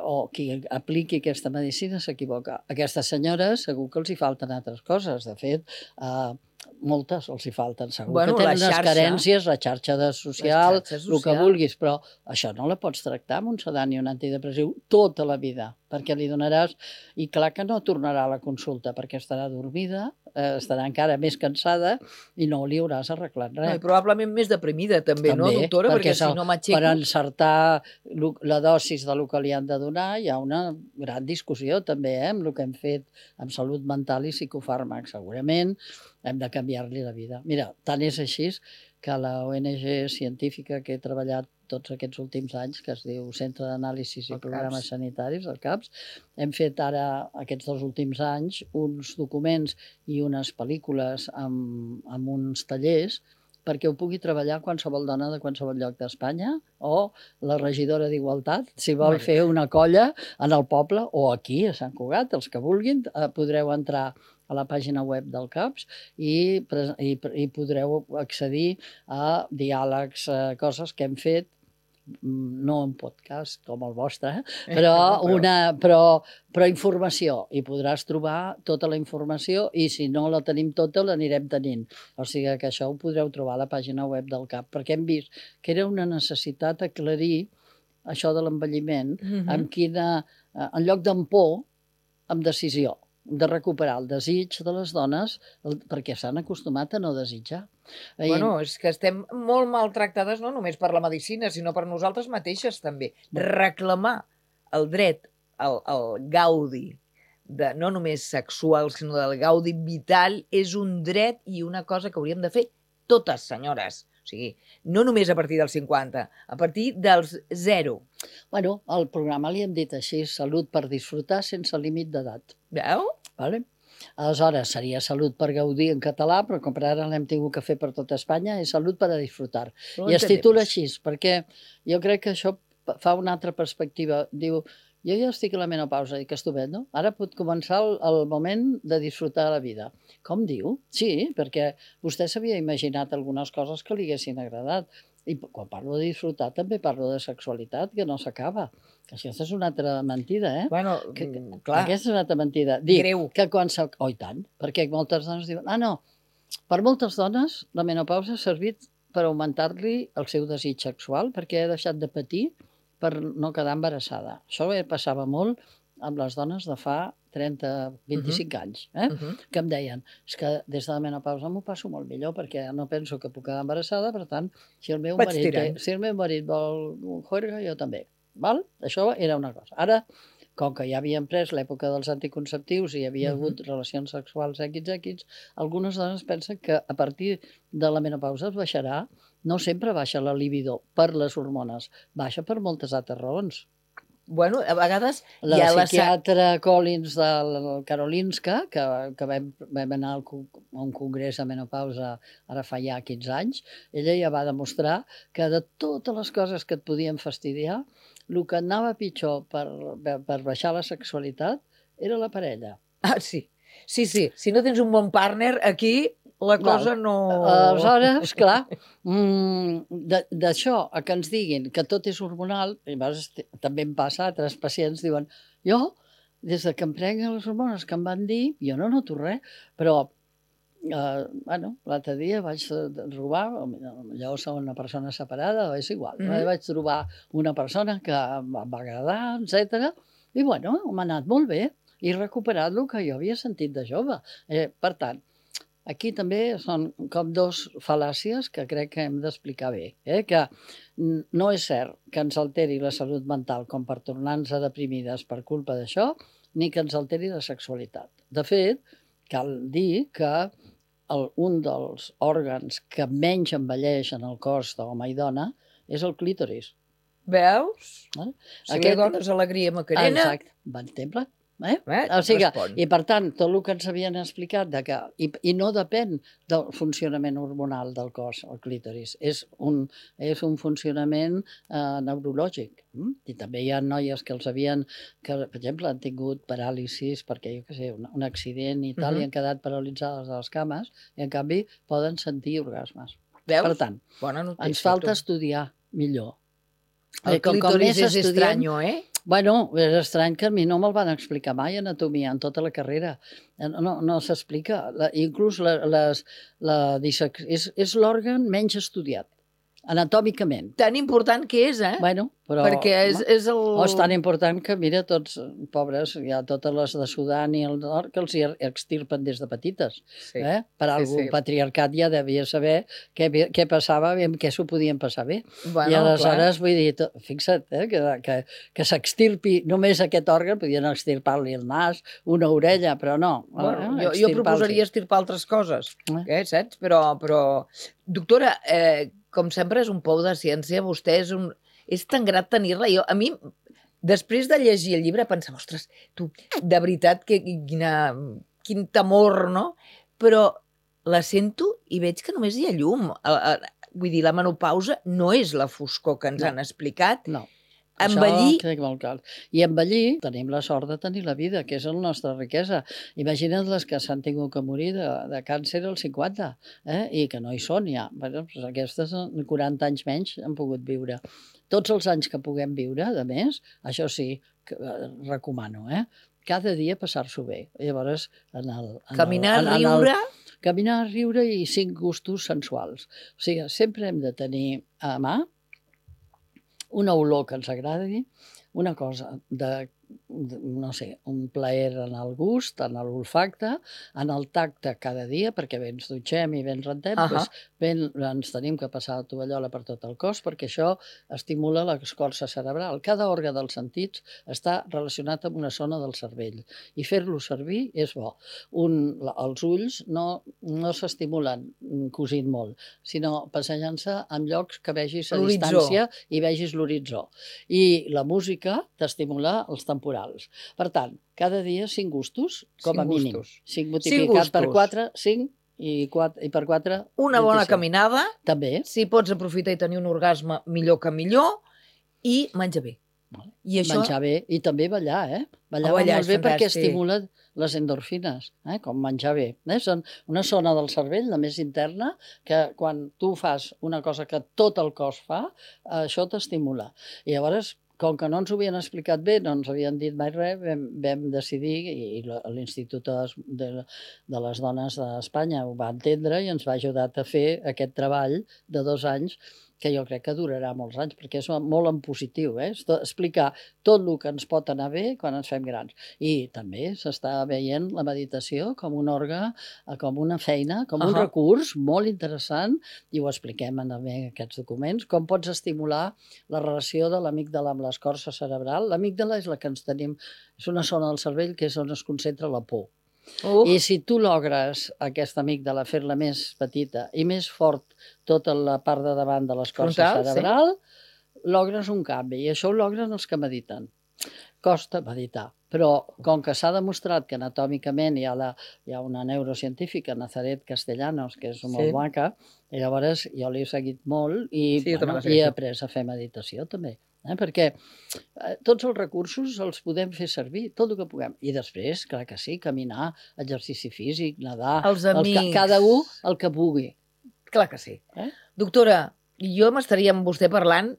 S3: O qui apliqui aquesta medicina s'equivoca. A aquestes senyores segur que els hi falten altres coses. De fet, moltes els hi falten. Segur que tenen unes carències, la xarxa social, el que vulguis, però això no la pots tractar amb un sedant i un antidepressiu tota la vida, perquè li donaràs... I clar que no tornarà a la consulta, perquè estarà dormida, estarà encara més cansada i no li hauràs arreglat res.
S1: No, i probablement més deprimida també, no, doctora? Perquè si no m'aixeco...
S3: Per encertar la dosis del que li han de donar hi ha una gran discussió també, amb el que hem fet amb salut mental i psicofàrmacs. Segurament hem de canviar-li la vida. Mira, tant és així que la ONG científica que he treballat tots aquests últims anys, que es diu Centre d'Anàlisis i Programes Sanitaris, el CAPS, hem fet ara, aquests 2 últims anys, uns documents i unes pel·lícules amb uns tallers perquè ho pugui treballar qualsevol dona de qualsevol lloc d'Espanya o la regidora d'Igualtat, si vol fer una colla en el poble o aquí, a Sant Cugat, els que vulguin, podreu entrar a la pàgina web del CAPS i podreu accedir a diàlegs, coses que hem fet, no un podcast com el vostre, però informació, i podràs trobar tota la informació i si no la tenim tota l'anirem tenint. O sigui que això ho podreu trobar a la pàgina web del CAP, perquè hem vist que era una necessitat aclarir això de l'envelliment, en lloc d'en por, amb decisió, de recuperar el desig de les dones perquè s'han acostumat a no desitjar.
S1: Bueno, és que estem molt maltractades no només per la medicina, sinó per nosaltres mateixes també. Reclamar el dret al gaudi, no només sexual, sinó del gaudi vital, és un dret i una cosa que hauríem de fer totes, senyores. O sigui, no només a partir dels 50, a partir dels 0.
S3: Bueno, al programa li hem dit així, salut per disfrutar sense límit d'edat.
S1: Veu?
S3: Vale? Aleshores, seria salut per gaudir en català, però com per ara l'hem tingut que fer per tot Espanya, és salut per a disfrutar. I es titula així, perquè jo crec que això fa una altra perspectiva. Diu, jo ja estic a la menopausa, i que estupendo. Ara pot començar el moment de disfrutar la vida. Com diu? Sí, perquè vostè s'havia imaginat algunes coses que li haguessin agradat. I quan parlo de disfrutar també parlo de sexualitat, que no s'acaba. Que això és una altra mentida, eh?
S1: Bueno, clar.
S3: Aquesta és una altra mentida.
S1: Greu.
S3: Que quan oh, i tant, perquè moltes dones diuen, no, per moltes dones la menopausa ha servit per augmentar-li el seu desig sexual perquè ha deixat de patir per no quedar embarassada. Això passava molt amb les dones de fa 30, 25 anys, que em deien, és que des de la menopausa m'ho passo molt millor perquè no penso que puc quedar embarassada, per tant, si el meu marit vol juerga, jo també. Val? Això era una cosa. Ara, com que ja havien pres l'època dels anticonceptius i hi havia hagut relacions sexuals XX, algunes dones pensen que a partir de la menopausa es baixarà. No sempre baixa la libido per les hormones, baixa per moltes altres raons.
S1: Bueno, a vegades
S3: La
S1: hi ha
S3: psiquiatra Collins de Karolinska, que vam anar a un congrés de menopausa ara fa ja 15 anys, ella ja va demostrar que de totes les coses que et podien fastidiar, el que anava pitjor per baixar la sexualitat era la parella.
S1: Ah, sí. Sí. Si no tens un bon partner, aquí la cosa no...
S3: Aleshores, clar, d'això a que ens diguin que tot és hormonal, i també em passa, altres pacients diuen, jo, des que em prenc les hormones que em van dir, jo no noto res, però l'altre dia vaig trobar, allò som una persona separada, és igual, vaig trobar una persona que em va agradar, etc. I bueno, m'ha anat molt bé, i he recuperat el que jo havia sentit de jove. Per tant, aquí també són com dos fal·làcies que crec que hem d'explicar bé, que no és cert que ens alteri la salut mental com per tornar-nos deprimides per culpa d'això, ni que ens alteri la sexualitat. De fet, cal dir que un dels òrgans que menys envelleix en el cos d'home i dona és el clítoris.
S1: Veus? Si li dones alegria Macarena...
S3: Exacte, bon exemple. O sigui, i per tant, tot el que ens havien explicat i no depèn del funcionament hormonal del cos, el clítoris, és un funcionament neurològic. I també hi ha noies que per exemple, han tingut paràlisis perquè, jo què sé, un accident i tal, i han quedat paralitzades a les cames, i en canvi poden sentir orgasmes. Per tant, ens falta estudiar millor.
S1: El clítoris és estranyo,
S3: Bueno, és estrany que a mi no me'l van explicar mai, anatomia, en tota la carrera. No s'explica. Inclús és l'òrgan menys estudiat, anatòmicament.
S1: Tan important que és,
S3: Bueno, però...
S1: perquè és el...
S3: És tan important que, mira, tots, pobres, hi ha totes les de Sudan i el nord que els hi extirpen des de petites. Per algú, el patriarcat ja devia saber què passava i amb què s'ho podien passar bé. I aleshores, vull dir, fixa't, que s'extirpi només aquest òrgan, podien extirpar-li el nas, una orella, però no.
S1: Jo proposaria extirpar altres coses, saps? Però, doctora, com sempre és un pou de ciència, vostè és tan grat tenir-la. A mi, després de llegir el llibre, pensava, ostres, tu, de veritat, quin temor, no? Però la sento i veig que només hi ha llum. Vull dir, la menopausa no és la foscor que ens han explicat.
S3: No.
S1: Envellir...
S3: Això crec molt clar. I envellir, tenim la sort de tenir la vida, que és la nostra riquesa. Imagina't les que s'han tingut que morir de càncer als 50, i que no hi són ja. Aquestes 40 anys menys han pogut viure. Tots els anys que puguem viure, a més, això sí, recomano, cada dia passar-s'ho bé. Llavors,
S1: caminar, riure...
S3: Caminar, riure i 5 gustos sensuals. O sigui, sempre hem de tenir a mà una olor que ens agradi, una cosa no sé, un plaer en el gust, en l'olfacte, en el tacte cada dia, perquè bé ens dutxem i bé ens rentem, ens tenim que passar la tovallola per tot el cos, perquè això estimula l'escorça cerebral. Cada òrgan dels sentits està relacionat amb una zona del cervell, i fer-lo servir és bo. Els ulls no s'estimulen cosint molt, sinó passejant-se en llocs que vegis a distància i vegis l'horitzó. I la música t'estimula els temporals. Per tant, cada dia 5 gustos, com a mínim. 5 multiplicat per 4, 5, i per 4...
S1: Una bona caminada.
S3: També.
S1: Si pots aprofitar i tenir un orgasme, millor que millor. I menjar bé.
S3: Menjar bé i també ballar, Ballar va molt bé perquè estimula les endorfines, com menjar bé. Són una zona del cervell, la més interna, que quan tu fas una cosa que tot el cos fa, això t'estimula. I llavors, com que no ens ho havien explicat bé, no ens havien dit mai res, vam decidir, i l'Institut de les Dones d'Espanya ho va entendre i ens va ajudar a fer aquest treball de 2 anys que jo crec que durarà molts anys, perquè és molt en positiu, explicar tot el que ens pot anar bé quan ens fem grans. I també s'està veient la meditació com un òrgan, com una feina, com un recurs molt interessant, i ho expliquem també en aquests documents, com pots estimular la relació de l'amígdala amb l'escorça cerebral. L'amígdala és la que ens tenim, és una zona del cervell que és on es concentra la por. I si tu logres aquesta amígdala fer-la més petita i més fort tota la part de davant de l'escorça cerebral, logres un canvi. I això ho logren els que mediten. Costa meditar, però com que s'ha demostrat que anatòmicament hi ha una neurocientífica, Nazaret Castellanos, que és molt maca, i llavors jo l'he seguit molt i he après a fer meditació també. Perquè tots els recursos els podem fer servir, tot el que puguem. I després, clar que sí, caminar, exercici físic, nedar,
S1: els amics,
S3: cada un el que pugui.
S1: Clar que sí. Doctora, jo m'estaria amb vostè parlant,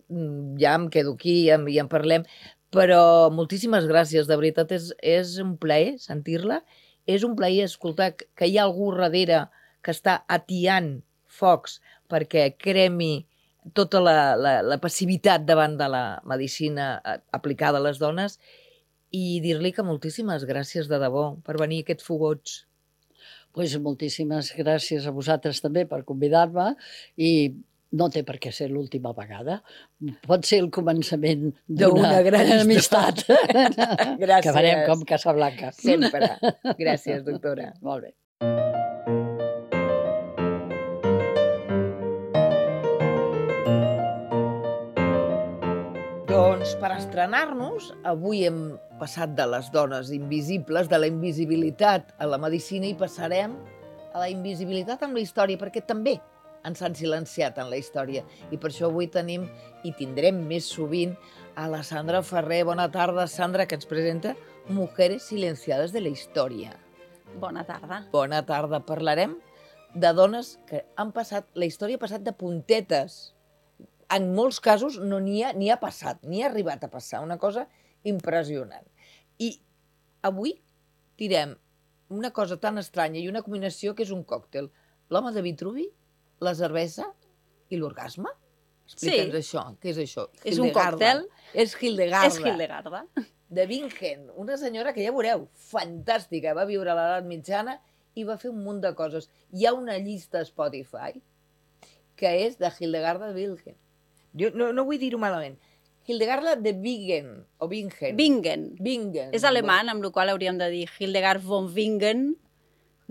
S1: ja em quedo aquí i en parlem, però moltíssimes gràcies, de veritat, és un plaer sentir-la, és un plaer escoltar que hi ha algú darrere que està atiant focs perquè cremi tota la passivitat davant de la medicina aplicada a les dones, i dir-li que moltíssimes gràcies de debò per venir a aquests fogots.
S3: Doncs moltíssimes gràcies a vosaltres també per convidar-me, i no té per què ser l'última vegada. Pot ser el començament d'una gran amistat.
S1: Gràcies.
S3: Que farem com Casablanca.
S1: Sempre. Gràcies, doctora.
S3: Molt bé.
S1: Doncs per estrenar-nos, avui hem passat de les dones invisibles, de la invisibilitat a la medicina, i passarem a la invisibilitat amb la història, perquè també ens han silenciat en la història. I per això avui tenim, i tindrem més sovint, a la Sandra Ferrer. Bona tarda, Sandra, que ens presenta Mujeres silenciades de la història.
S4: Bona tarda.
S1: Bona tarda. Parlarem de dones que han passat, la història ha passat de puntetes. En molts casos no n'hi ha passat, ni ha arribat a passar, una cosa impressionant. I avui direm una cosa tan estranya i una combinació que és un còctel. L'home de Vitruvi, la cervesa i l'orgasme? Explica'ns això. Què és això?
S4: És un còctel.
S1: És Hildegarda.
S4: És Hildegarda.
S1: De Bingen, una senyora que ja veureu, fantàstica, va viure a l'edat mitjana i va fer un munt de coses. Hi ha una llista a Spotify que és de Hildegarda de Bingen. Jo no vull dir-ho malament. Hildegarda de Bingen, o Bingen.
S4: Bingen.
S1: Bingen.
S4: És alemany, amb la qual cosa hauríem de dir Hildegard von Bingen.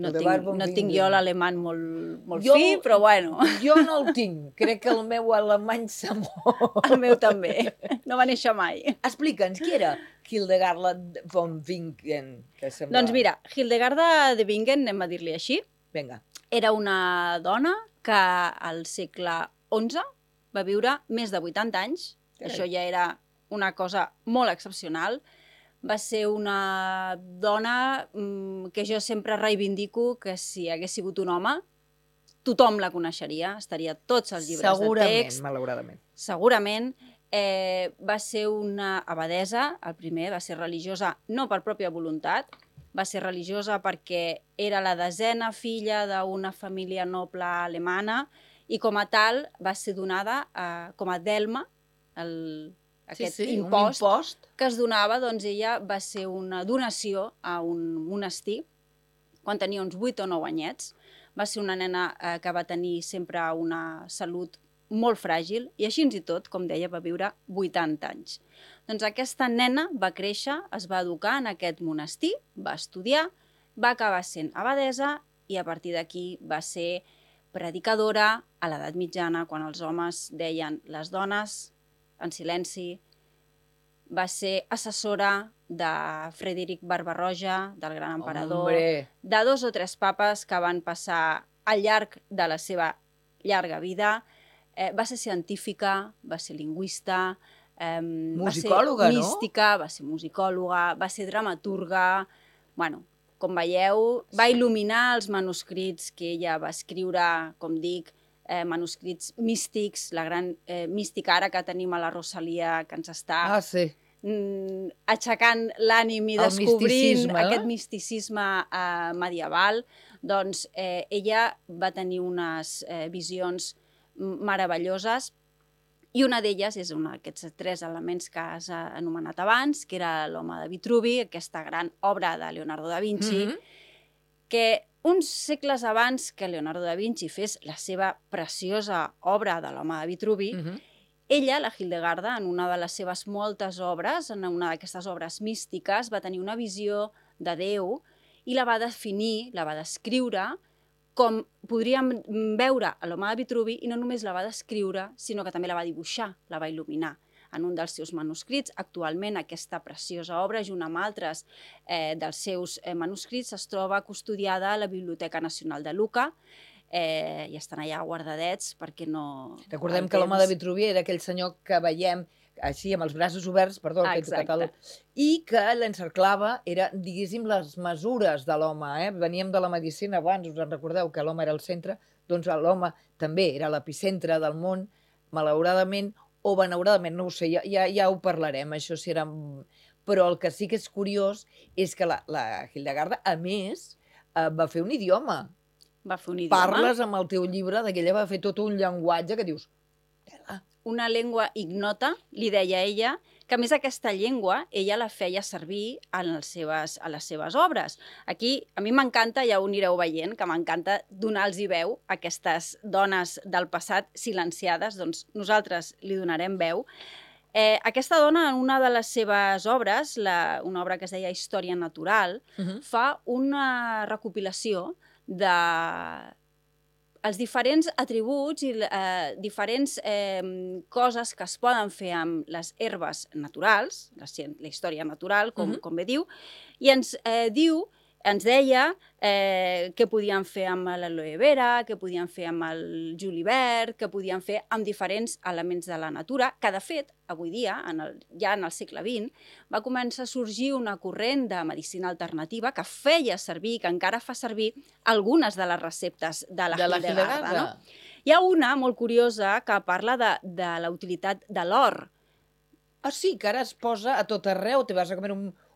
S4: No tinc jo l'alemany molt fi, però bueno.
S1: Jo no el tinc. Crec que el meu alemany s'ha mort.
S4: El meu també. No va néixer mai.
S1: Explica'ns, qui era Hildegarda von Bingen?
S4: Doncs mira, Hildegarda de Bingen, anem a dir-li així,
S1: Vinga.
S4: era una dona que al segle XI va viure més de 80 anys. Això ja era una cosa molt excepcional. Va ser una dona que jo sempre reivindico que si hagués sigut un home, tothom la coneixeria, estaria tots els llibres de text.
S1: Segurament, malauradament.
S4: Segurament. Va ser una abadesa, el primer, va ser religiosa no per pròpia voluntat, va ser religiosa perquè era la 10a filla d'una família noble alemana, i com a tal va ser donada com a delma, aquest impost que es donava. Doncs ella va ser una donació a un monestir quan tenia uns 8 o 9 anyets. Va ser una nena que va tenir sempre una salut molt fràgil i així i tot, com deia, va viure 80 anys. Doncs aquesta nena va créixer, es va educar en aquest monestir, va estudiar, va acabar sent abadesa i a partir d'aquí va ser predicadora a l'edat mitjana, quan els homes deien les dones en silenci. Va ser assessora de Frederic Barba-roja, del gran emperador, de 2 o 3 papes que van passar al llarg de la seva llarga vida. Va ser científica, va ser lingüista,
S1: musicòloga,
S4: va ser mística, va ser musicòloga, va ser dramaturga. Bueno, com veieu, va il·luminar els manuscrits que ella va escriure, com dic, manuscrits místics, la gran mística ara que tenim a la Rosalia, que ens està aixecant l'ànim i descobrint aquest misticisme medieval. Doncs ella va tenir unes visions meravelloses I una d'elles és un d'aquests 3 elements que has anomenat abans, que era l'Home de Vitruvi, aquesta gran obra de Leonardo da Vinci, que uns segles abans que Leonardo da Vinci fes la seva preciosa obra de l'Home de Vitruvi, ella, la Hildegarda, en una de les seves moltes obres, en una d'aquestes obres místiques, va tenir una visió de Déu i la va definir, la va descriure com podríem veure a l'Home de Vitruvi, i no només la va descriure, sinó que també la va dibuixar, la va il·luminar en un dels seus manuscrits. Actualment aquesta preciosa obra, junt amb altres dels seus manuscrits, es troba custodiada a la Biblioteca Nacional de Lucca, i estan allà guardadets perquè no...
S1: Recordem que l'Home de Vitruvi era aquell senyor que veiem així, amb els braços oberts, perdó, i que l'encerclava, era, diguéssim, les mesures de l'home. Veníem de la medicina abans, us en recordeu que l'home era el centre, doncs l'home també era l'epicentre del món, malauradament, o benauradament, no ho sé, ja ho parlarem, això si era... Però el que sí que és curiós és que la Hildegarda, a més, va fer un idioma.
S4: Va fer un idioma.
S1: Parles amb el teu llibre, d'aquella va fer tot un llenguatge que dius...
S4: Una llengua ignota, li deia ella, que a més aquesta llengua ella la feia servir a les seves obres. Aquí a mi m'encanta, ja ho anireu veient, que m'encanta donar-los veu a aquestes dones del passat silenciades, doncs nosaltres li donarem veu. Aquesta dona, en una de les seves obres, una obra que es deia Història Natural, fa una recopilació de els diferents atributs i diferents coses que es poden fer amb les herbes naturals, la història natural, com bé diu, i ens deia què podien fer amb l'aloe vera, què podien fer amb el julivert, què podien fer amb diferents elements de la natura, que de fet, avui dia, ja en el segle XX, va començar a sorgir una corrent de medicina alternativa que feia servir, que encara fa servir, algunes de les receptes de la Hildegarda. Hi ha una molt curiosa que parla de la utilitat de l'or.
S1: Ah, sí, que ara es posa a tot arreu, te vas a comer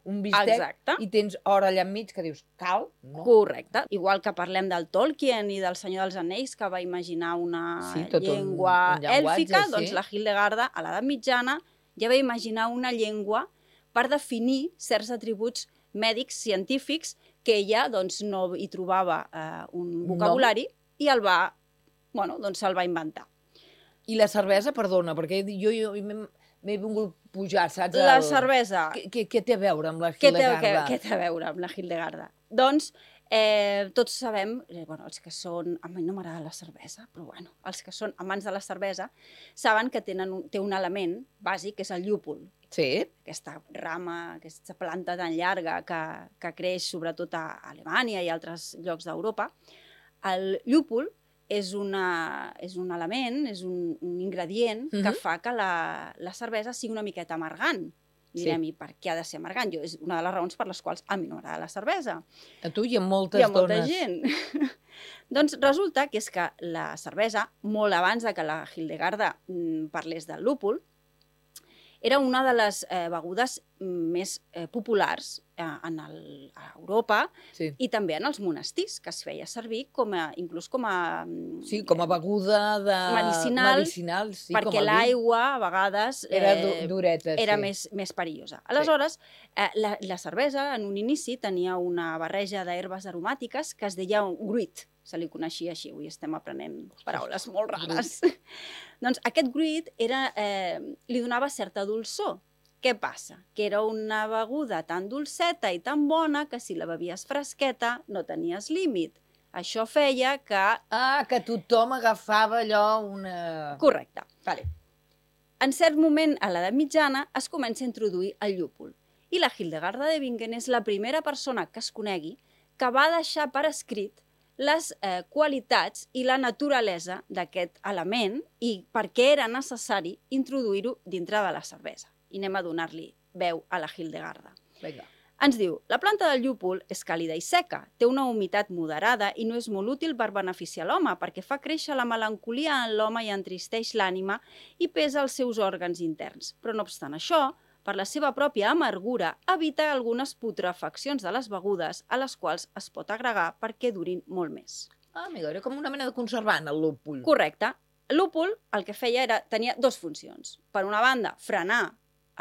S1: un bistec i tens or allà enmig que dius, cal? No.
S4: Correcte. Igual que parlem del Tolkien i del Senyor dels Anells, que va imaginar una llengua èlfica, doncs la Hildegarda, a l'edat mitjana, ja va imaginar una llengua per definir certs atributs mèdics, científics, que ella no hi trobava un vocabulari i se'l va inventar.
S1: I la cervesa, perdona, perquè jo m'he vingut pujar, saps?
S4: La cervesa.
S1: Què té a veure amb la Hildegarda?
S4: Què té a veure amb la Hildegarda? Doncs tots sabem, els que són... A mi no m'agrada la cervesa, però els que són amants de la cervesa saben que té un element bàsic, que és el llúpol.
S1: Sí.
S4: Aquesta rama, aquesta planta tan llarga que creix sobretot a Alemanya i altres llocs d'Europa. El llúpol és un element, és un ingredient que fa que la cervesa sigui una miqueta amargant. I direm, i per què ha de ser amargant? És una de les raons per les quals a mi no m'agrada la cervesa.
S1: A tu i a moltes dones.
S4: I a molta gent. Doncs resulta que és que la cervesa, molt abans que la Hildegarda parlés del lúpul, era una de les begudes més populars a Europa i també en els monestirs, que es feia servir inclús com a...
S1: Sí, com a beguda medicinal,
S4: perquè l'aigua, a vegades,
S1: era dureta,
S4: era més perillosa. Aleshores, la cervesa, en un inici, tenia una barreja d'herbes aromàtiques que es deia un gruit. Se li coneixia així, avui estem aprenent paraules molt rares. Doncs aquest gruit li donava certa dolçor. Què passa? Que era una beguda tan dolceta i tan bona que si la bevies fresqueta no tenies límit. Això feia que...
S1: que tothom agafava allò una...
S4: Correcte. En cert moment, a l'edat mitjana, es comença a introduir el llúpol. I la Hildegarda de Bingen és la primera persona que es conegui que va deixar per escrit les qualitats i la naturalesa d'aquest element i per què era necessari introduir-ho dintre de la cervesa. I anem a donar-li veu a la Hildegarda. Ens diu, la planta del llúpol és càlida i seca, té una humitat moderada i no és molt útil per beneficiar l'home perquè fa créixer la melancolia en l'home i entristeix l'ànima i pesa els seus òrgans interns. Però no obstant això, per la seva pròpia amargura, evita algunes putrefaccions de les begudes a les quals es pot agregar perquè durin molt més.
S1: Amiga, era com una mena de conservant, el lúpul.
S4: Correcte. L'úpul el que feia tenia dues funcions. Per una banda, frenar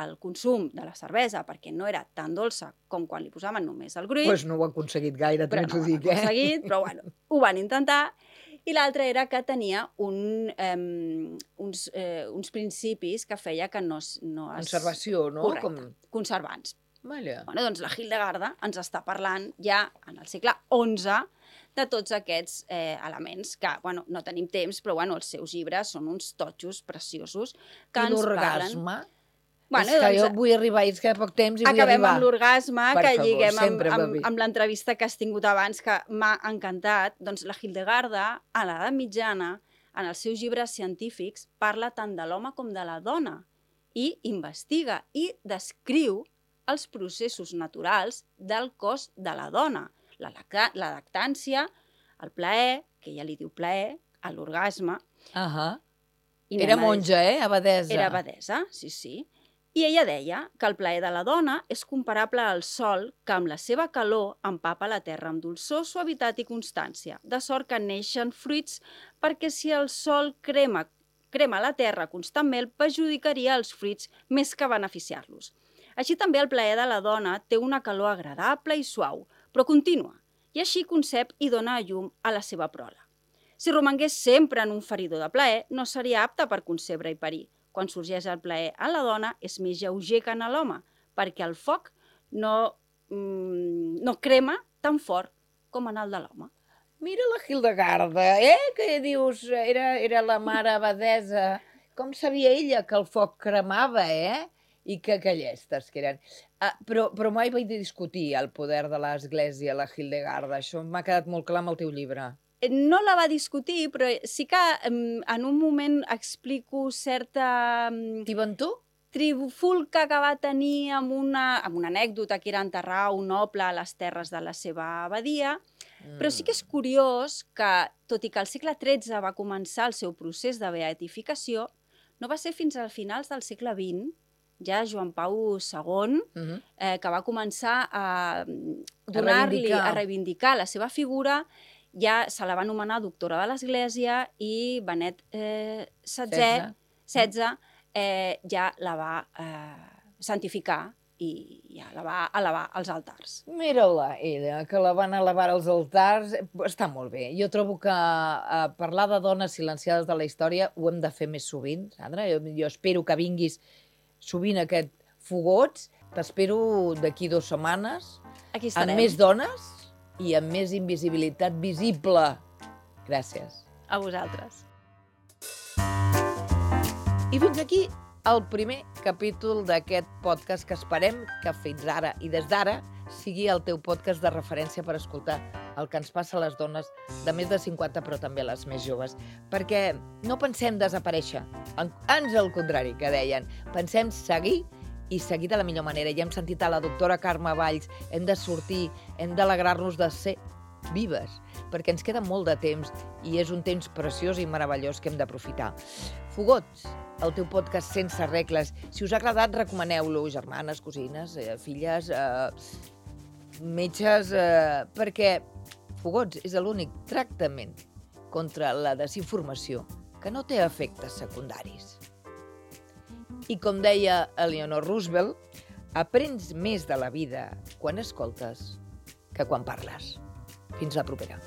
S4: el consum de la cervesa perquè no era tan dolça com quan li posaven només el gruix.
S1: Doncs no ho ha aconseguit gaire,
S4: Però
S1: també
S4: no
S1: t'ho
S4: ho han
S1: dic,
S4: aconseguit, però bueno, ho van intentar. I l'altre era que tenia uns principis que feia que no es...
S1: Conservació, no?
S4: Correcte, conservants.
S1: Vaja.
S4: Bueno, doncs la Hildegarda ens està parlant ja en el segle XI de tots aquests elements que, bueno, no tenim temps, però bueno, els seus llibres són uns totxos preciosos que
S1: I
S4: ens parlen...
S1: l'orgasme?
S4: Bueno,
S1: és que
S4: doncs,
S1: jo vull arribar, és que poc temps i vull
S4: acabem
S1: arribar.
S4: amb l'orgasme,
S1: Per
S4: que
S1: favor,
S4: lliguem
S1: sempre va bé.
S4: amb l'entrevista que has tingut abans, que m'ha encantat. Doncs la Hildegarda, a l'edat mitjana, en els seus llibres científics, parla tant de l'home com de la dona i investiga i descriu els processos naturals del cos de la dona. La lactància, el plaer, que ella li diu plaer, l'orgasme.
S1: Era monja, abadesa.
S4: Era abadesa, sí, sí. I ella deia que el plaer de la dona és comparable al sol que amb la seva calor empapa la terra amb dolçor, suavitat i constància, de sort que neixen fruits perquè si el sol crema la terra constantment perjudicaria els fruits més que beneficiar-los. Així també el plaer de la dona té una calor agradable i suau, però contínua, i així concep i dona a llum a la seva prole. Si romangués sempre en un feridor de plaer, no seria apte per concebre i parir. Quan sorgeix el plaer en la dona, és més lleuger que en l'home, perquè el foc no crema tan fort com en el de l'home.
S1: Mira la Hildegarda, que dius, era la mare abadesa. Com sabia ella que el foc cremava, I que llestes que eren. Però mai vaig discutir el poder de l'Església, la Hildegarda. Això m'ha quedat molt clar amb el teu llibre.
S4: No la va discutir, però sí que en un moment explico certa... trifulca que va tenir amb una anècdota que era enterrar un noble a les terres de la seva abadia, però sí que és curiós que, tot i que al segle XIII va començar el seu procés de beatificació, no va ser fins als finals del segle XX, ja Joan Pau II, que va començar a reivindicar la seva figura. Ja se la va anomenar doctora de l'Església i Benet XVI ja la va santificar i ja la va elevar als altars.
S1: Mira-la, ella, que la van elevar als altars. Està molt bé. Jo trobo que parlar de dones silenciades de la història ho hem de fer més sovint, Sandra. Jo espero que vinguis sovint a aquest Fogots. T'espero d'aquí 2 setmanes.
S4: Aquí estarem.
S1: Amb més dones i amb més invisibilitat visible. Gràcies.
S4: A vosaltres.
S1: I fins aquí el primer capítol d'aquest podcast que esperem que fins ara i des d'ara sigui el teu podcast de referència per escoltar el que ens passa a les dones de més de 50, però també a les més joves. Perquè no pensem desaparèixer, ans al contrari, que deien. Pensem seguir i seguir de la millor manera. Ja hem sentit a la doctora Carme Valls, hem de sortir, hem d'alegrar-nos de ser vives, perquè ens queda molt de temps i és un temps preciós i meravellós que hem d'aprofitar. Fogots, el teu podcast sense regles. Si us ha agradat, recomaneu-lo, germanes, cosines, filles, metges, perquè Fogots és l'únic tractament contra la desinformació que no té efectes secundaris. I com deia Eleanor Roosevelt, aprens més de la vida quan escoltes que quan parles. Fins la propera.